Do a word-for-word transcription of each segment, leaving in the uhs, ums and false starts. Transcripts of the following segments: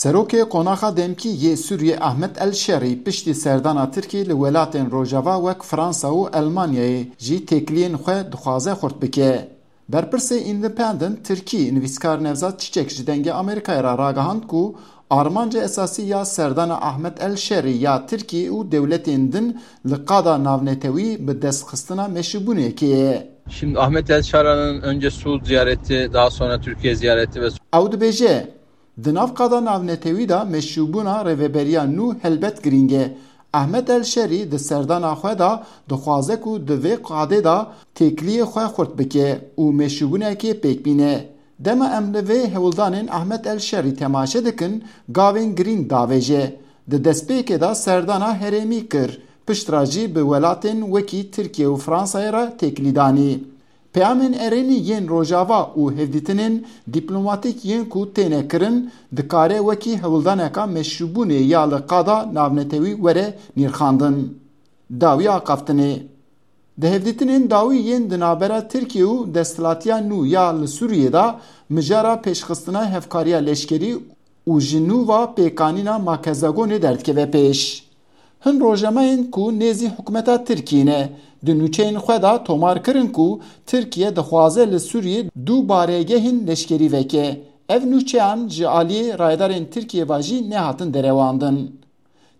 Serokê Qonaxa Demkî yê Sûriyê Ahmet El Şerî piştî serdana Tirkî li welatên Rojava wek Fransa û Elmanyayê jî têkiliyên xwe dixwaze xurt bike. Berpirsê Independent Tirkî nivîskar Nevzat Çiçek ji Dengê Amerîkayê re ragihand ku armanca esasî ya serdana Ahmet El Şerî ya Tirkî û dewletên din li qada navnetewî bi destxistina meşrûbûnekê ye. Şimdi Ahmet El Şara'nın önce Suud ziyareti, daha sonra Türkiye ziyareti ve Ew dibêje, di nav qada navnetewî de meşrûbûna rêveberiya nû helbet girîng e. Ahmet El Şerî di serdana xwe de dixwaze ku di vê qadê de têkiliyê xwe xurt bike û meşrûbûnekê pêk bîne. Dema em li vê hewldanên Ahmet El Şerî temaşe dikin, gavên girîng davêje. Di destpêkê de serdana herêmî kir, piştre jî bi welatên wekî Tirkiye û Fransayê re têkilî danî. Peyamên erênî yên Rojava û hevdîtinên dîplomatîk yên ku têne kirin, dikare wekî hewldaneka meşrûbûnê ya li qada navnetewî were nirxandin. Dawiya axaftinê. Di hevdîtinên dawî yên di navbera Tirkiye û desthilatiya nû ya li Sûriyê de mijara pêşxistina hevkariya leşkerî û ji nû ve pêkanîna makezagonê derdikeve pêş. Hin rojnamayên ku nêzî hikûmeta Tirkiyê ne, di nûçeyên xwe de tomar kirin ku Tirkiye dixwaze li Sûriyê du baregehên leşkerî veke. Ev nûçeyan ji aliyê rayedarên Tirkiyê ve jî nehatin derewandin.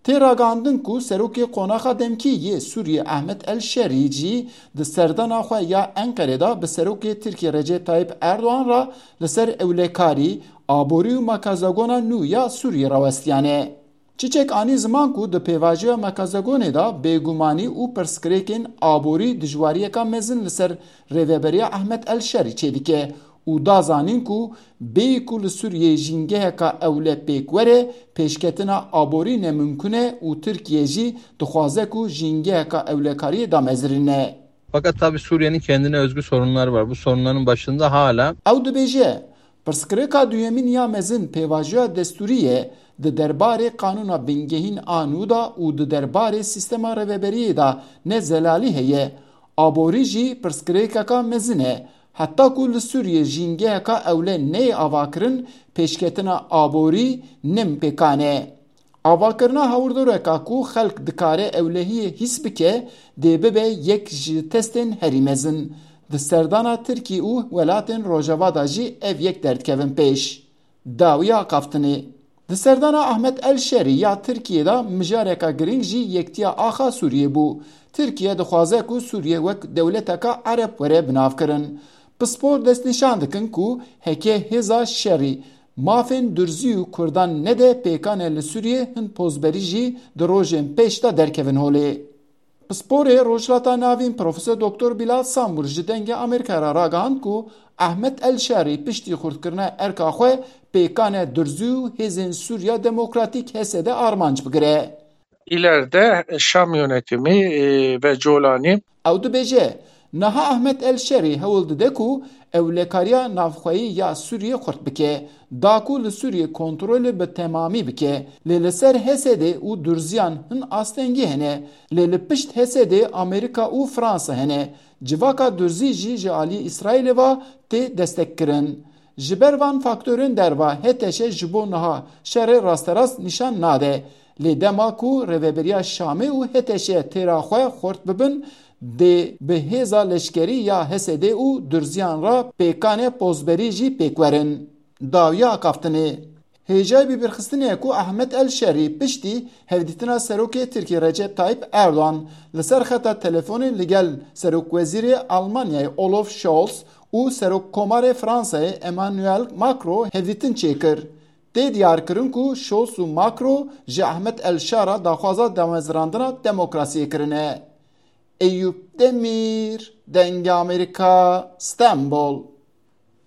Tê ragihandin ku serokê Qonaxa Demkî yê Sûriyê Ehmed El Şerî jî di serdana xwe ya Enqerê de bi serokê Tirkiyê Recep Tayyip Erdogan re li ser ewlekarî, aborî û makazagona nû ya Sûriyê rawestiyane. Çiçek anî ziman ku di pêvajoya mekazagonê de bêgumanî û pirsgirêkên aborî dijwariyeka mezin li ser rêveberiya Ehmed El Şerî çêdike û da zanîn ku bêyî ku li Sûriyê jîngeheka ewle pêk were, pêşketina aborî nemimkun e û Tirkiye jî dixwaze ku jîngeheka ewlekariyê damezirîne. Fakat tabii Suriye'nin kendine özgü sorunları var. Bu sorunların başında hala Ew dibêje, pirsgirêka duyemîn ya mezin pêvajoya destûrî ye, di derbarê qanûna bingehîn a nû de û di derbarê sîstema rêveberiyê de ne zelalî heye. Aborî jî pirsgirêkeka mezin e. Heta ku li Sûriyê jîngeheka ewle neyê avakirin, pêşketina aborî nim pêkan e. Avakirina hawirdoreka ku xelk dikare ewlehiyê hîs bike, dê bibe yek ji testên herî mezin. Di serdana Tirkî û welatên Rojava de jî ev yek derdikevin pêş. Dawiya axaftinê. Di serdana Ahmet El Şerî ya Tirkiyê de mijareka girîng jî yektiya axa Sûriyê bû. Tirkiye dixwaze ku Sûriye wek dewleteka Ereb were binavkirin. Pispor destnîşan dikin ku heke hêza şerî mafên durzî û Kurdan nede, pêkan e li Sûriyê hin pozberî jî di rojên pêş de derkevin holê. Pisporê Rojhilata Navîn Profesor Doktor Bilal Samur ji Dengê Amerîka re ragihand ku Ehmed El Şarî piştî xurtkirina erka xwe pêkan e durzî û hêzên Sûriya Demokratîk H S D armanc bigire. İleride Şam yönetimi, e, ve Colani Ew dibêje, niha Ehmed El Şerî hewl dide ku ewlekariya navxweyî ya Sûriyê xurt bike, da ku li Sûriyê kontrolê bi temamî bike, lê li ser H S D û durziyan hin astengî hene, lê li pişt H S D Amerîka û Fransa hene. Civaka durzî jî ji aliyê Îsraîlê ve tê destekkirin. Ji ber van faktorên derva H T Ş ji bo niha şerê rasterast nîşan nade. Lê dema ku rêveberiya Şamê û H T Ş têra xwe xurt bibin, dê bi hêza leşkerî ya H S D û durziyan re pêkanê pozberî jî pêk werin. Dawiya axaftinê. Hêjayî bibîrxistinê ye ku Ehmed El Şerî piştî hevdîtina serokê Tirkî Recep Tayyip Erdogan li ser xeta telefonê li gel serokwezîrê Almanyayê Olaf Scholz û serokkomarê Fransayê Emmanuel Macron hevdîtin çêkir. Tê diyarkirin ku Scholz û Macron ji Ehmed El Şara daxwaza damezrandina demokrasiyê kirine. Eyûp Demîr, Dengê Amerîka, Stenbol.